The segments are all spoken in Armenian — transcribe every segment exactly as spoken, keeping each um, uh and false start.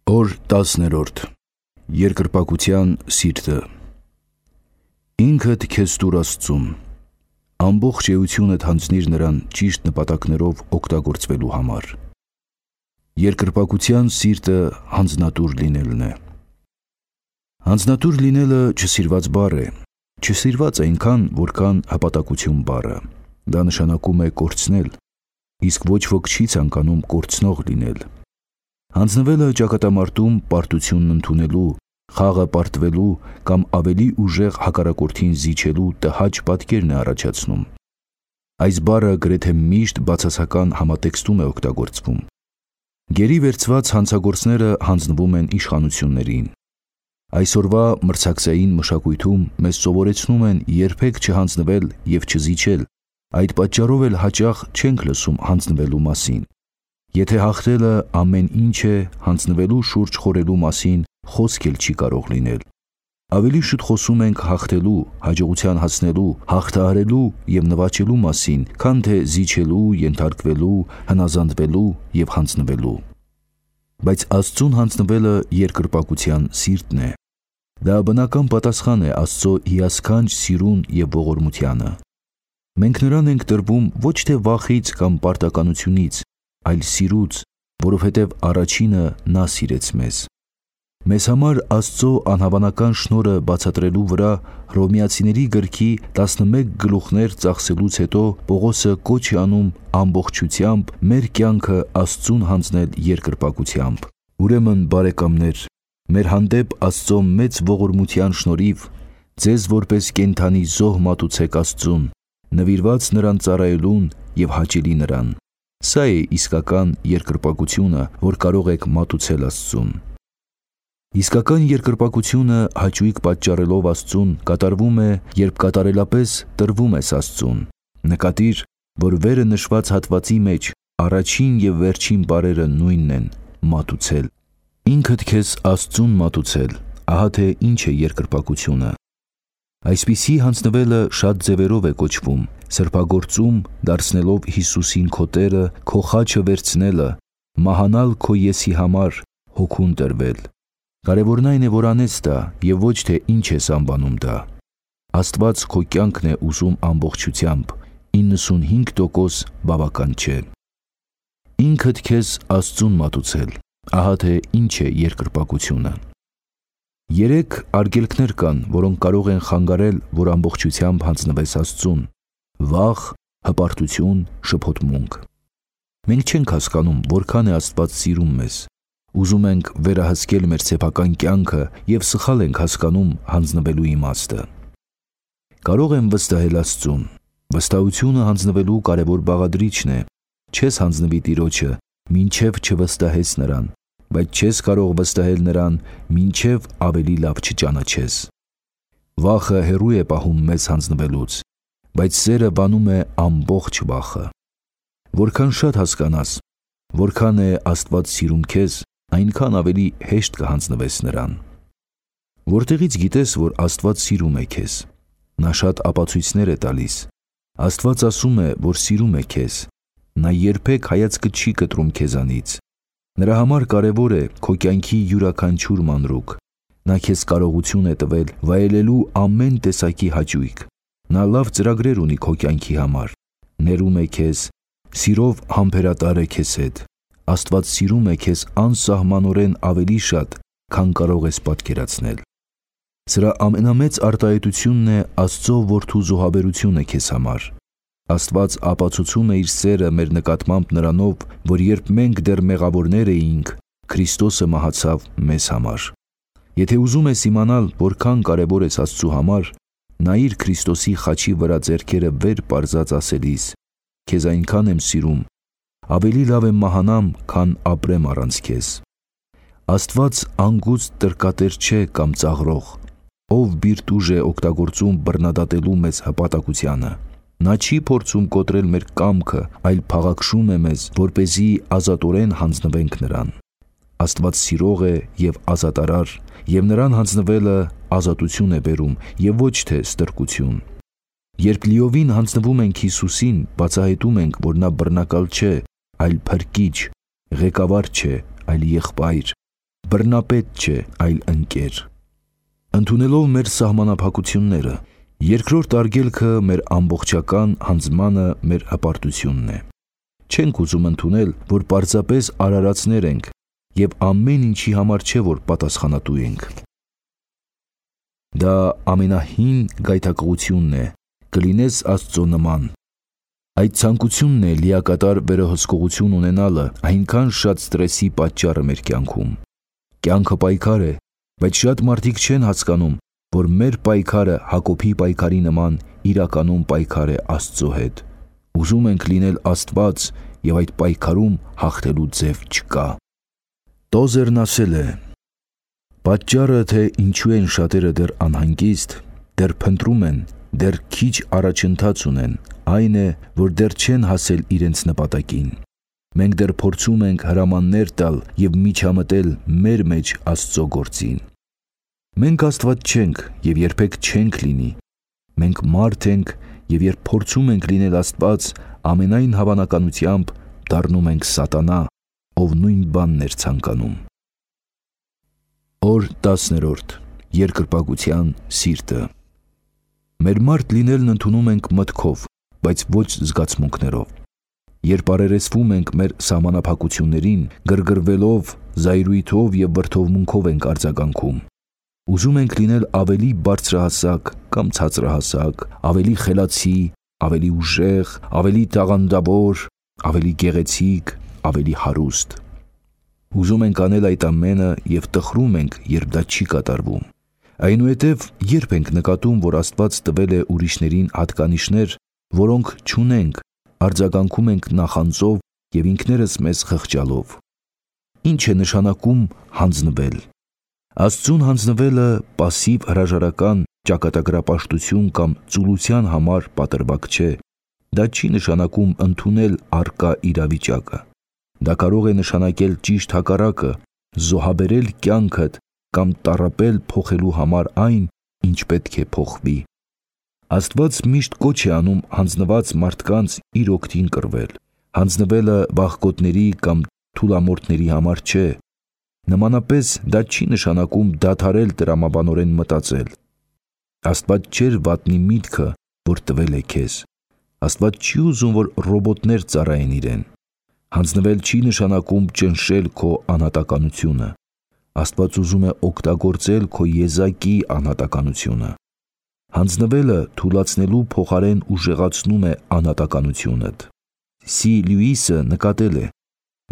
Օր տասներորդ. Երկրպագության սիրտը։ Ինքդ քեզ տուր Աստծուն, ամբողջ էությունդ հանձնիր նրան ճիշտ նպատակներով օգտագործվելու համար։ Երկրպագության սիրտը հանձնատուր լինելն է։ Հանձնատուր լինելը չսիրված բառ է, չսիրված այնքան, որքան հպատակություն բառը։ Դա նշանակում է կորցնել, իսկ ոչ ոք չի ցանկանում կորցնող լինել։ Հանձնվելը ճակատամարտում պարտությունն ընդունելու, խաղը պարտվելու կամ ավելի ուժեղ հակառակորդին զիջելու տհաճ պատկերն է առաջացնում։ Այս բառը գրեթե միշտ բացասական համատեքստում է օգտագործվում։ Գերի վերցված հանցագործները հանձնվում են իշխանություններին։ Այսօրվա մրցակցային մշակույթում մեզ սովորեցնում են երբեք չհանձնվել և չզիջել, այդ պատճառով էլ հաճախ չենք լսում հանձնվելու մասին։ Եթե հաղթելը ամեն ինչ է, հանձնվելու շուրջ խորելու մասին խոսք էլ չի կարող լինել։ Ավելի շուտ խոսում ենք հաղթելու, հաջողության հասնելու, հաղթահարելու և նվաճելու մասին, քան թե զիջելու, ենթարկվելու, հնազանդվելու և հանձնվելու։ Բայց Աստծուն հանձնվելը երկրպագության սիրտն է։ Դա բնական պատասխան է Աստծո հիասքանչ սիրուն և ողորմությանը։ Մենք նրան ենք տրվում ոչ թե վախից կամ պարտականությունից, այլ սիրուց, որովհետև առաջինը նա սիրեց մեզ։ Մեզ համար Աստծո անհավանական շնորհը բացատրելու վրա Հռոմեացիների գրքի տասնմեկ գլուխներ ծախսելուց հետո Պողոսը կոչ է անում ամբողջությամբ մեր կյանքը Աստծուն հանձնել երկրպագությամբ։ Ուրեմն, բարեկամներ, մեր հանդեպ Աստծո մեծ ողորմության շնորհիվ ձեզ որպես կենդանի զոհ մատուցեք Աստծուն, նվիրված նրան ծառայելուն և հաճելի նրան։ Սա է իսկական երկրպագությունը, որ կարող եք մատուցել Աստծուն։ Իսկական երկրպագությունը հաճույք պատճառելով Աստծուն կատարվում է, երբ կատարելապես տրվում ես Աստծուն։ Նկատիր, որ վերը նշված հատվածի մեջ առաջին և վերջին բառերը նույնն են՝ մատուցել։ Ինքդ քեզ Աստծուն մատուցել, ահա թե ինչ է երկրպագությունը։ Այսպիսի հանձնվելը շատ ձևերով է կոչվում՝ սրբագործում, դարձնելով Հիսուսին քո Տերը, քո խաչը վերցնելը, մահանալ քո եսի համար, հոգուն տրվել։ Կարևորն այն է, որ անես դա և ոչ թե ինչ ես անվանում դա։ Աստված քո կյանքն է ուզում ամբողջությամբ, իննսունհինգ տոկոս բավական չէ։ Ինքդ քեզ Աստծուն մատուցել, ահա թե ինչ է երկրպագությունը։ Երեք արգելքներ կան, որոնք կարող են խանգարել, որ ամբողջությամբ հանձնվես Աստծուն՝ վախ, հպարտություն, շփոթմունք։ Մենք չենք հասկանում, որքան է Աստված սիրում մեզ։ Ուզում ենք վերահսկել մեր սեփական կյանքը և սխալ ենք հասկանում հանձնվելու իմաստը։ Կարող եմ վստահել Աստծուն։ Վստահությունը հանձնվելու կարևոր բաղադրիչն է։ Չես հանձնվի Տիրոջը, մինչև չվստահես նրան, բայց չես կարող վստահել նրան, մինչև ավելի լավ չճանաչես։ Վախը հեռու է պահում մեզ հանձնվելուց, բայց սերը բանում է ամբողջ վախը։ Որքան շատ հասկանաս, որքան է Աստված սիրում քեզ, այնքան ավելի հեշտ կհանձնվես նրան։ Որտեղից գիտես, որ Աստված սիրում է քեզ։ Նա շատ ապացույցներ է տալիս։ Աստված ասում է, որ սիրում է քեզ։ Նա երբեք հայացքը չի կտրում քեզանից։ Նրա համար կարևոր է քո կյանքի յուրաքանչյուր մանրուք։ Նա քեզ կարողություն է տվել վայելելու ամեն տեսակի հաճույք։ Նա լավ ծրագրեր ունի քո կյանքի համար։ Ներում է քեզ, սիրով համբերատար է քեզ հետ։ Աստված սիրում է քեզ անսահմանորեն ավելի շատ, քան կարող ես պատկերացնել։ Սրա ամենամեծ արտահայտությունն է Աստծո Որդու զոհաբերությունը քեզ համար։ Աստված ապացուցում է իր սերը մեր նկատմամբ նրանով, որ երբ մենք դեռ մեղավորներ էինք, Քրիստոսը մահացավ մեզ համար։ Եթե ուզում ես իմանալ, որքան կարևոր ես Աստծու համար, նայիր Քրիստոսի խաչի վրա ձեռքերը վեր պարզած ասելիս. «Քեզ այնքան եմ սիրում, ավելի լավ եմ մահանամ, քան ապրեմ առանց քեզ»։ Աստված անգուցտ տրկատեր չէ կամ ծաղրող, ով բիրտ ուժ է օգտագործում բռնադատելու մեզ հպատակությանը։ Նա չի փորձում կոտրել մեր կամքը, այլ փաղաքշում է մեզ, որպեսզի ազատորեն հանձնվենք նրան։ Աստված սիրող է և ազատարար, և նրան հանձնվելը ազատություն է բերում և ոչ թե ստրկություն։ Երբ լիովին հանձնվում ենք Հիսուսին, բացահայտում ենք, որ նա բռնակալ չէ, այլ փրկիչ, ղեկավար չէ, այլ եղբայր, բռնապետ չէ, այլ ընկեր։ Ընդունելով մեր սահմանափակությունները, երկրորդ արգելքը մեր ամբողջական հանձնմանը մեր հպարտությունն է։ Չենք ուզում ընդունել, որ պարզապես արարածներ ենք և ամեն ինչի համար չէ, որ պատասխանատու ենք։ Դա ամենահին գայթակղությունն է, կլինես Աստծո նման։ Այդ ցանկությունն է լիակատար վերահսկողություն ունենալը այնքան շատ ստրեսի պատճառը մեր կյանքում։ Կյանքը պայքար է, բայց շատ մարդիկ չեն հասկանում, որ մեր պայքարը Հակոբի պայքարի նման իրականում պայքար է Աստծո հետ։ Ուզում ենք լինել Աստված և այդ պայքարում հաղթելու ձև չկա։ Տոզերն ասել է. «Պատճառը, թե ինչու են շատերը դեռ անհանգիստ, դեռ փնտրում են, դեռ քիչ առաջընթաց ունեն, այն է, որ դեռ չեն հասել իրենց նպատակին։ Մենք դեռ փորձում ենք հրամաններ տալ և միջամտել մեր մեջ Աստծո գործին։ Մենք Աստված չենք և երբեք չենք լինի։ Մենք մարդ ենք և երբ փորձում ենք լինել Աստված, ամենայն հավանականությամբ դառնում ենք սատանա, ով նույն բանն էր ցանկանում»։ Օր տասներորդ. Երկրպագության սիրտը։ Մեր մարդ լինելն ընդունում ենք մտքով, բայց ոչ զգացմունքներով։ Երբ առերեսվում ենք մեր սահմանափակություններին, գրգռվելով, զայրույթով և վրդովմունքով ենք արձագանքում։ Ուզում ենք լինել ավելի բարձրահասակ կամ ցածրահասակ, ավելի խելացի, ավելի ուժեղ, ավելի տաղանդավոր, ավելի գեղեցիկ, ավելի հարուստ։ Ուզում ենք անել այդ ամենը և տխրում ենք, երբ դա չի կատարվում։ Այնուհետև երբ ենք նկատում, որ Աստված տվել է ուրիշներին հատկանիշներ, որոնք չունենք, արձագանքում ենք նախանձով և ինքներս մեզ խղճալով։ Ինչ է նշանակում հանձնվել։ Աստծուն հանձնվելը պասիվ հրաժարական, ճակատագրապաշտություն կամ ծուլության համար պատրվակ չէ։ Դա չի նշանակում ընդունել առկա իրավիճակը։ Դա կարող է նշանակել ճիշտ հակառակը՝ զոհաբերել կյանքդ կամ տառապել փոխելու համար այն, ինչ պետք է փոխվի։ Աստված միշտ կոչ է անում հանձնված մարդկանց իր օգտին կռվել։ Հանձնվելը վախկոտների կամ թուլամորթների համար չէ։ Նմանապես դա չի նշանակում դադարել տրամաբանորեն մտածել։ Աստված չէր վատնի միտքը, որ տվել է քեզ։ Աստված չի ուզում, որ ռոբոտներ ծառայեն իրեն։ Հանձնվել չի նշանակում ճնշել քո անհատականությունը։ Աստված ուզում է օգտագործել քո եզակի անհատականությունը։ Հանձնվելը թուլացնելու փոխարեն ուժեղացնում է անհատականությունդ։ Սի Լյուիսը նկատել է.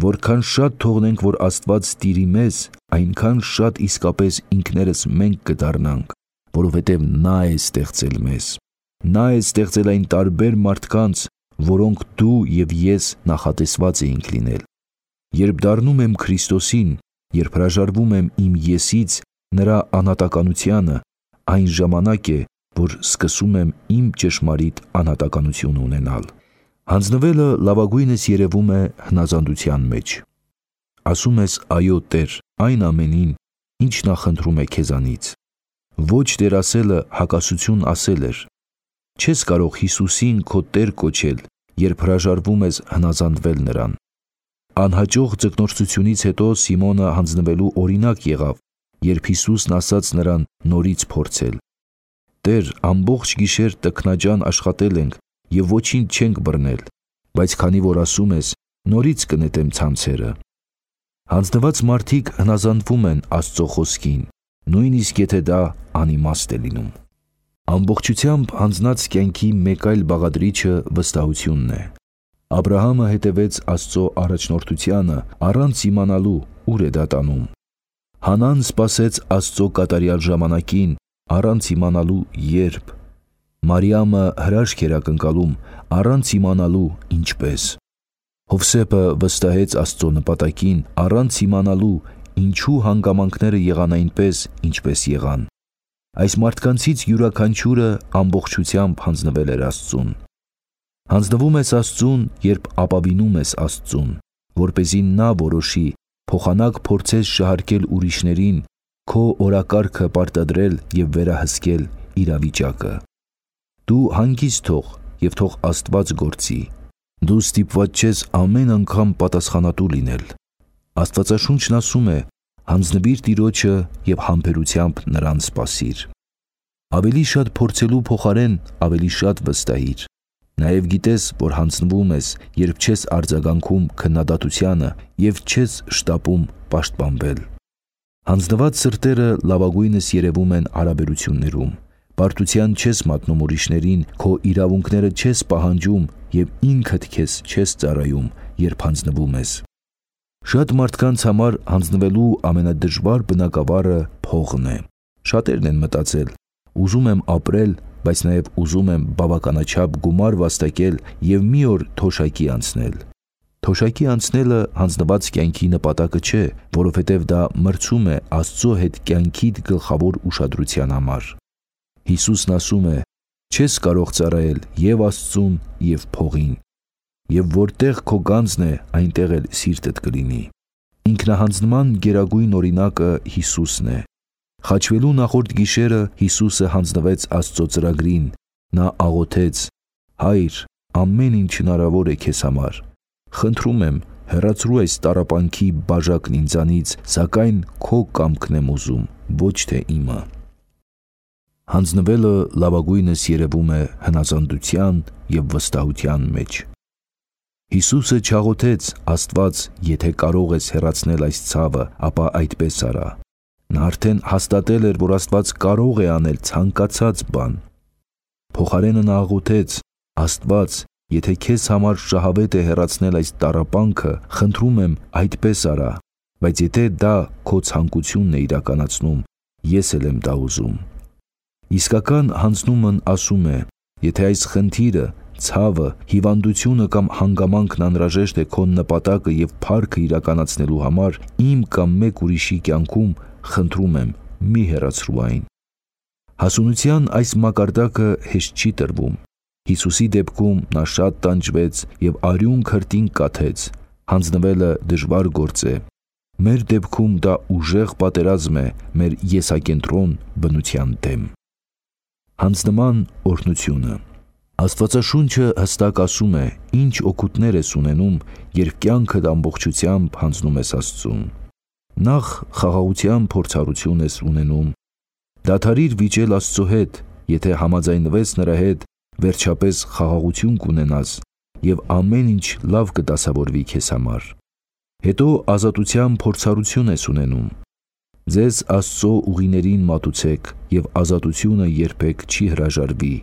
որքան շատ թողնենք, որ Աստված տիրի մեզ, այնքան շատ իսկապես ինքներս մենք կդառնանք, որովհետև նա է ստեղծել մեզ։ Նա է ստեղծել այն տարբեր մարդկանց, որոնք դու և ես նախատեսված էինք լինել։ Երբ դառնում եմ Քրիստոսին, երբ հրաժարվում եմ իմ եսից նրա անհատականությանը, այն ժամանակ է, որ սկսում եմ իմ ճշմարիտ անհատականություն ունենալ։ Հանձնվելը լավագույնս երևում է հնազանդության մեջ։ Ասում ես այո Տեր այն ամենին, ինչ նա խնդրում է քեզանից։ Ոչ Տեր ասելը հակասություն ասել էր։ Չես կարող Հիսուսին քո Տեր կոչել, երբ հրաժարվում ես հնազանդվել նրան։ Անհաջող ձկնորսությունից հետո Սիմոնը հանձնվելու օրինակ եղավ, երբ Հիսուսն ասաց նրան նորից փորձել. «Տեր, ամբողջ գիշեր տքնաջան աշխատել ենք և ոչինչ չենք բռնել, բայց քանի որ ասում ես, նորից կնետեմ ցանցերը»։ Հանձնված մարդիկ հնազանդվում են Աստծո խոսքին, նույնիսկ եթե դա անիմաստ է լինում։ Ամբողջությամբ հանձնած կյանքի մեկ այլ բաղադրիչը վստահությունն է։ Աբրահամը հետևեց Աստծո առաջնորդությանը առանց իմանալու ուր է դա տանում։ Հանան սպասեց Աստծո կատարյալ ժամանակին առանց իմանալու երբ։ Մարիամը հրաշք էր ակնկալում առանց իմանալու ինչպես։ Հովսեփը վստահեց Աստծո նպատակին առանց իմանալու ինչու հանգամանքները եղան այնպես, ինչպես եղան։ Այս մարդկանցից յուրաքանչյուրը ամբողջությամբ հանձնվել էր Աստծուն։ Հանձնվում ես Աստծուն, երբ ապավինում ես Աստծուն, որպեսզի նա որոշի փոխանակ փորձես շահարկել ուրիշներին, քո օրակարգը պարտադրել և վերահսկել իրավիճակը։ Դու հանգիստ թող և թող Աստված գործի։ Դու ստիպված չես ամեն անգամ պատասխանատու լինել։ Աստվածաշունչն ասում է. Հանձնվիր Տիրոջը և համբերությամբ նրան սպասիր։ Ավելի շատ փորձելու փոխարեն ավելի շատ վստահիր։ Նաև գիտես, որ հանձնվում ես, երբ չես արձագանքում քննադատությանը և չես շտապում պաշտպանվել։ Հանձնված սրտերը լավագույնս երևում են հարաբերություններում։ Պարտության չես մատնում ուրիշներին, քո իրավունքները չես պահանջում և ինքդ քեզ չես ծառայում, երբ հանձնվում ես։ Շատ մարդկանց համար հանձնվելու ամենադժվար բնագավառը փողն է։ Շատերն են մտածել. ուզում եմ ապրել, բայց նաև ուզում եմ բավականաչափ գումար վաստակել և մի օր թոշակի անցնել։ Թոշակի անցնելը հանձնված կյանքի նպատակը չէ, որովհետև դա մրցում է Աստծո հետ կյանքիդ գլխավոր ուշադրության համար։ Հիսուսն ասում է. չես կարող ծառայել և Աստծուն, և փողին։ Եվ որտեղ քո գանձն է, այնտեղ էլ սիրտդ կլինի։ Ինքնահանձնման գերագույն օրինակը Հիսուսն է։ Խաչվելու նախորդ գիշերը Հիսուսը հանձնվեց Աստծո ծրագրին։ Նա աղոթեց. «Հայր, ամեն ինչ հնարավոր է քեզ համար։ Խնդրում եմ, հեռացրու այս տառապանքի բաժակն ինձանից, սակայն քո կամքն եմ ուզում, ոչ թե իմը»։ Հանձնվելը լավագույնս երևում է հնազանդության և վստահության մեջ։ Հիսուսը չաղոթեց. «Աստված, եթե կարող ես հեռացնել այս ցավը, ապա այդպես արա»։ Նա արդեն հաստատել էր, որ Աստված կարող է անել ցանկացած բան։ Փոխարենը նա աղոթեց. «Աստված, եթե քեզ համար շահավետ է հեռացնել այս տառապանքը, խնդրում եմ այդպես արա, բայց եթե դա քո ցանկությունն է իրականացնում, ես էլ եմ դա ուզում»։ Իսկական հանձնումն ասում է. եթե այս խնդիրը, ցավը, հիվանդությունը կամ հանգամանքն անհրաժեշտ է քո նպատակը և փառքը իրականացնելու համար, իմ կամ մեկ ուրիշի կյանքում, խնդրում եմ, մի հեռացրու այն։ Հասունության այս մակարդակը հեշտ չի տրվում։ Հիսուսի դեպքում նա շատ տանջվեց և արյուն քրտինք կաթեց։ Հանձնվելը դժվար գործ է։ Մեր դեպքում դա ուժեղ պատերազմ է մեր եսակենտրոն բնության դեմ։ Հանձնման օրհնությունը։ Աստվածաշունչը հստակ ասում է, ինչ օգուտներ ես ունենում, երբ կյանքդ ամբողջությամբ հանձնում ես Աստծուն։ Նախ խաղաղության փորձառություն ես ունենում։ Դադարիր վիճել Աստծո հետ, եթե համաձայնվես նրա հետ, վերջապես խաղաղություն կունենաս և ամեն ինչ լավ կդասավորվի քեզ համար։ Հետո ազատության փորձառություն ես ունենում։ Ձեզ Աստծո ուղիներին մատուցեք, և ազատությունը երբեք չի հրաժարվի։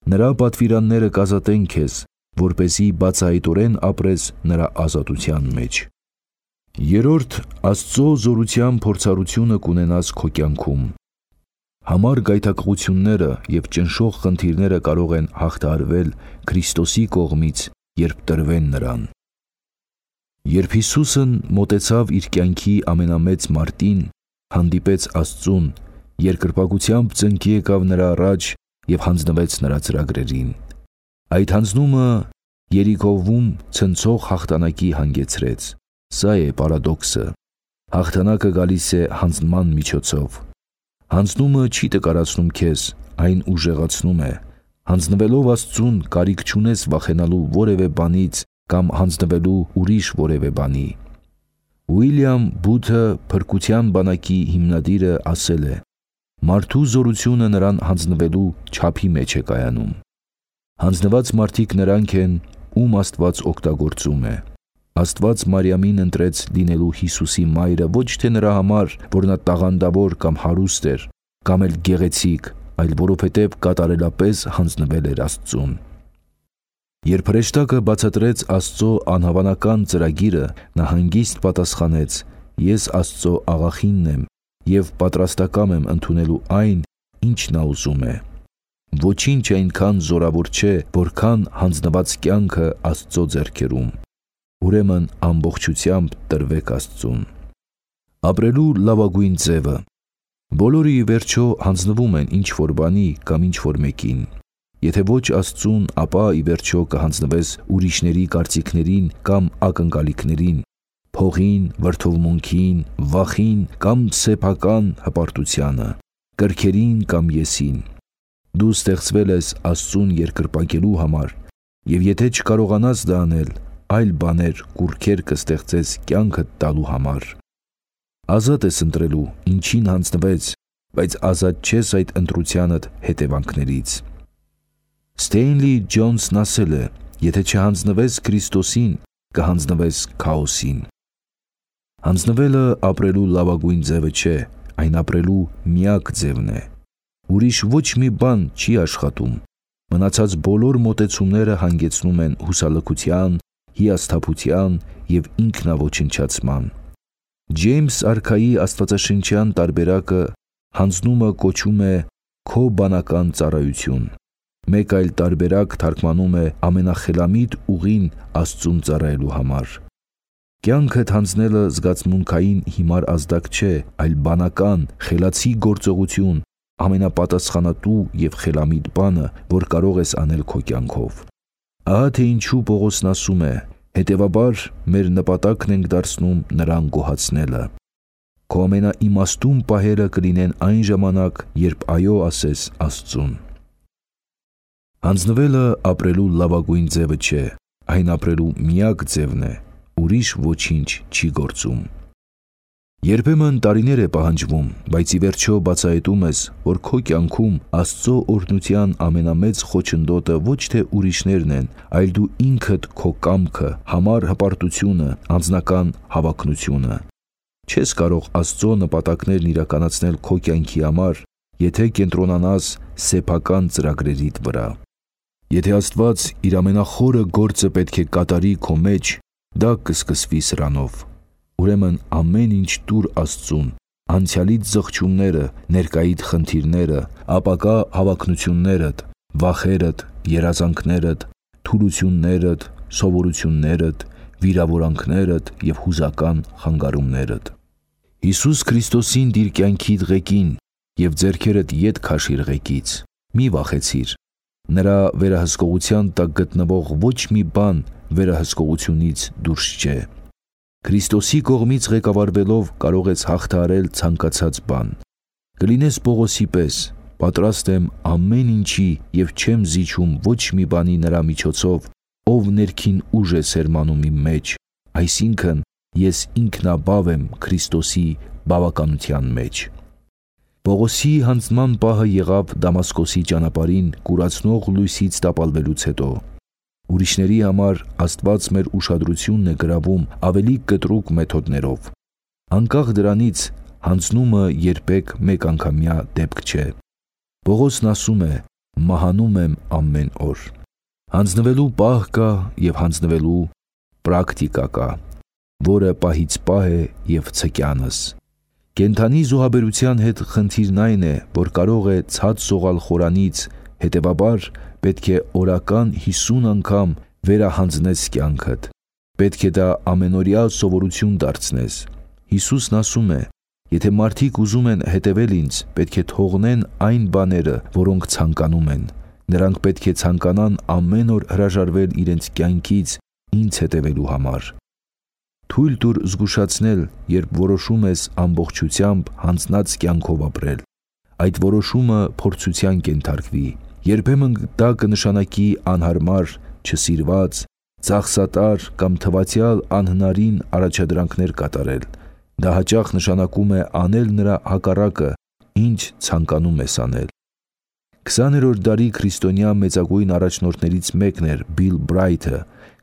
Նրա պատվիրանները կազատեն քեզ, որպեսզի բացահայտորեն ապրես նրա ազատության մեջ։ Երրորդ, Աստծո զորության փորձառությունը կունենաս քո կյանքում։ Համառ գայթակղությունները և ճնշող խնդիրները կարող են հաղթահարվել Քրիստոսի կողմից, երբ տրվեն նրան։ Երբ Հիսուսն մոտեցավ իր կյանքի ամենամեծ մարտին, հանդիպեց Աստծուն, երկրպագությամբ ծնկի եկավ նրա առաջ և հանձնվեց նրա ծրագրերին։ Այդ հանձնումը Երիքովում ցնցող հաղթանակի հանգեցրեց։ Սա է պարադոքսը։ Հաղթանակը գալիս է հանձնման միջոցով։ Հանձնումը չի տկարացնում քեզ, այն ուժեղացնում է։ Հանձնվելով Աստծուն կարիք չունես վախենալու որևէ բանից կամ հանձնվելու ուրիշ որևէ բանի։ Ուիլյամ Բութը, փրկության բանակի հիմնադիրը, ասել է. «Մարդու զորությունը նրան հանձնվելու չափի մեջ է կայանում»։ Հանձնված մարդիկ նրանք են, ում Աստված օգտագործում է։ Աստված Մարիամին ընտրեց լինելու Հիսուսի մայրը ոչ թե նրա համար, որ նա տաղանդավոր կամ հարուստ էր, կամ էլ գեղեցիկ, այլ որովհետև կատարելապես հանձնվել էր Աստծուն։ Երբ հրեշտակը բացատրեց Աստծո անհավանական ծրագիրը, նա հանգիստ պատասխանեց. «Ես Աստծո աղախինն եմ և պատրաստակամ եմ ընդունելու այն, ինչ նա ուզում է»։ Ոչինչ այնքան զորավոր չէ, որքան հանձնված կյանքը Աստծո ձեռքերում։ Ուրեմն ամբողջությամբ տրվեք Աստծուն։ Ապրելու լավագույն ձևը։ Բոլորը ի վերջո հանձնվում են ինչ-որ բանի կամ ինչ-որ մեկին։ Եթե ոչ Աստծուն, ապա ի վերջո կհանձնվես ուրիշների կարծիքներին կամ ակնկալիքներին, փողին, վրդովմունքին, վախին կամ սեփական հպարտությանը, կրքերին կամ եսին։ Դու ստեղծվել ես Աստծուն երկրպագելու համար, և եթե չկարողանաս դա անել, այլ բաներ, կուռքեր կստեղծես կյանքդ տալու համար։ Ազատ ես ընտրելու, ինչին հանձնվեց, բայց ազատ չես այդ ընտրությանդ հետևանքներից։ Ստեյնլի Ջոնսն ասել է. եթե չհանձնվես Քրիստոսին, կհանձնվես քաոսին։ Հանձնվելը ապրելու լավագույն ձևը չէ, այն ապրելու միակ ձևն է։ Ուրիշ ոչ մի բան չի աշխատում։ Մնացած բոլոր մոտեցումները հանգեցնում են հուսալքության, հիասթափության և ինքնաոչնչացման։ Ջեյմս արքայի աստվածաշնչյան տարբերակը հանձնումը կոչում է քո բանական ծառայություն։ Մեկ այլ տարբերակ թարգմանում է ամենախելամիտ ուղին Աստծուն ծառայելու համար։ Կյանքդ հանձնելը զգացմունքային հիմար ազդակ չէ, այլ բանական, խելացի գործողություն, ամենապատասխանատու և խելամիտ բանը, որ կարող ես անել քո կյանքով։ Ահա թե ինչու Պողոսն ասում է. հետևաբար մեր նպատակն ենք դարձնում նրան գոհացնելը։ Քո ամենաիմաստուն պահերը կլինեն այն ժամանակ, երբ այո ասես Աստծուն։ Հանձնվելը ապրելու լավագույն ձևը չէ, այն ապրելու միակ ձևն է, ուրիշ ոչինչ չի գործում։ Երբեմն տարիներ է պահանջվում, բայց ի վերջո բացահայտում ես, որ քո կյանքում Աստծո օրհնության ամենամեծ խոչընդոտը ոչ թե ուրիշներն են, այլ դու ինքդ քո կամքը, համառ հպարտությունը, անձնական հավակնությունը։ Չես կարող Աստծո նպատակներն իրականացնել քո կյանքի համար, եթե կենտրոնանաս սեփական ծրագրերիդ վրա։ Եթե Աստված իր ամենախորը գործը պետք է կատարի քո մեջ, դա կսկսվի սրանով։ Ուրեմն ամեն ինչ տուր Աստծուն, անցյալիդ զղջումները, ներկայիդ խնդիրները, ապագա հավակնություններդ, վախերդ, երազանքներդ, թուլություններդ, սովորություններդ, վիրավորանքներդ և հուզական խանգարումներդ։ Հիսուս Քրիստոսին դիր կյանքիդ ղեկին և ձեռքերդ ետ քաշիր ղեկից։ Մի վախեցիր։ Նրա վերահսկողության տակ գտնվող ոչ մի բան վերահսկողությունից դուրս չէ։ Քրիստոսի կողմից ղեկավարվելով կարող ես հաղթահարել ցանկացած բան։ Կլինես Պողոսի պես, պատրաստ եմ ամեն ինչի և չեմ զիջում ոչ մի բանի նրա միջոցով, ով ներքին ուժ է սերմանում իմ մեջ, այսինքն ես ինքնաբավ եմ Քրիստոսի բավականության մեջ։ Պողոսի հանձնման պահը եղավ Դամասկոսի ճանապարհին կուրացնող լույսից տապալվելուց հետո։ Ուրիշների համար Աստված մեր ուշադրությունն է գրավում ավելի կտրուկ մեթոդներով։ Անկախ դրանից, հանձնումը երբեք մեկանգամյա դեպք չէ։ Պողոսն ասում է. մահանում եմ ամեն օր։ Հանձնվելու պահ կա և հանձնվելու պրակտիկա կա, որը պահից պահ է և ցկյանս։ Կենդանի զոհաբերության հետ խնդիրն այն է, որ կարող է ցած սողալ խորանից, հետևաբար պետք է օրական հիսուն անգամ վերահանձնես կյանքդ։ Պետք է դա ամենօրյա սովորություն դարձնես։ Հիսուսն ասում է. եթե մարդիկ ուզում են հետևել ինձ, պետք է թողնեն այն բաները, որոնք ցանկանում են։ Նրանք պետք է ցանկանան ամեն օր հրաժարվել իրենց կյանքից ինձ հետևելու համար։ Թույլ տուր զգուշացնել, երբ որոշում ես ամբողջությամբ հանձնած կյանքով ապրել։ Այդ որոշումը փորձության կենթարկվի։ Երբեմն դա կնշանակի անհարմար, չսիրված, ծախսատար կամ թվացյալ անհնարին առաջադրանքներ կատարել։ Դա հաճախ նշանակում է անել նրա հակառակը, ինչ ցանկանում ես անել։ քսաներորդ դարի քրիստոնյա մեծագույն առաջնորդներից մեկն էր Բիլ Բրայթը,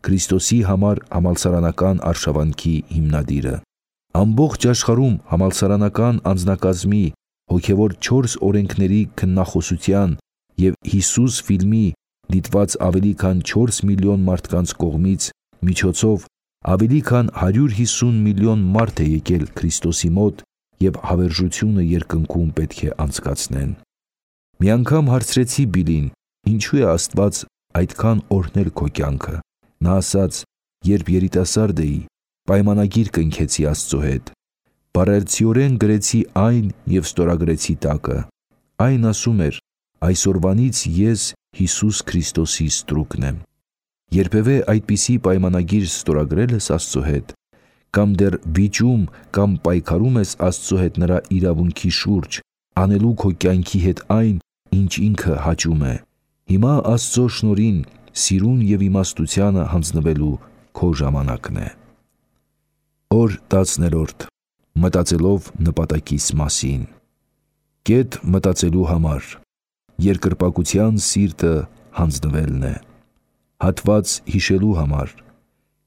Քրիստոսի համար համալսարանական արշավանքի հիմնադիրը։ Ամբողջ աշխարհում համալսարանական անձնակազմի, հոգևոր չորս օրենքների քննախոսության և Հիսուս ֆիլմի դիտված ավելի քան չորս միլիոն մարդկանց կողմից միջոցով ավելի քան հարյուր հիսուն միլիոն մարդ է եկել Քրիստոսի մոտ և հավերժությունը երկնքում պետք է անցկացնեն։ Մի անգամ հարցրեցի Բիլին. ինչու է Աստված այդքան օրհնել քո կյանքը։ Նա ասաց. երբ երիտասարդ էի, պայմանագիր կնքեցի Աստծո հետ։ Բառերցիորեն գրեցի այն և ստորագրեցի տակը։ Այն ասում էր. այսօրվանից ես Հիսուս Քրիստոսի ստրուկն եմ։ Երբևէ այդպիսի պայմանագիր ստորագրել ես Աստծո հետ, կամ դեռ վիճում կամ պայքարում ես Աստծո հետ նրա իրավունքի շուրջ, անելու քո կյանքի հետ այն, ինչ ինքը հաճում է։ Հիմա Աստծո շնորհին, սիրուն և իմաստությանը հանձնվելու քո ժամանակն է։ Օր տասներորդ. մտածելով նպատակիս մասին։ Կետ մտածելու համար երկրպագության սիրտը հանձնվելն է։ Հատված հիշելու համար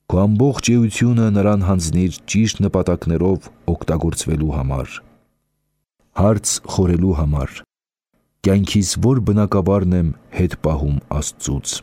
քո ամբողջ էությունը նրան հանձնիր ճիշտ նպատակներով օգտագործվելու համար։ Հարց խորելու համար կյանքիս որ բնակավարն եմ հետ պահում Աստծուց։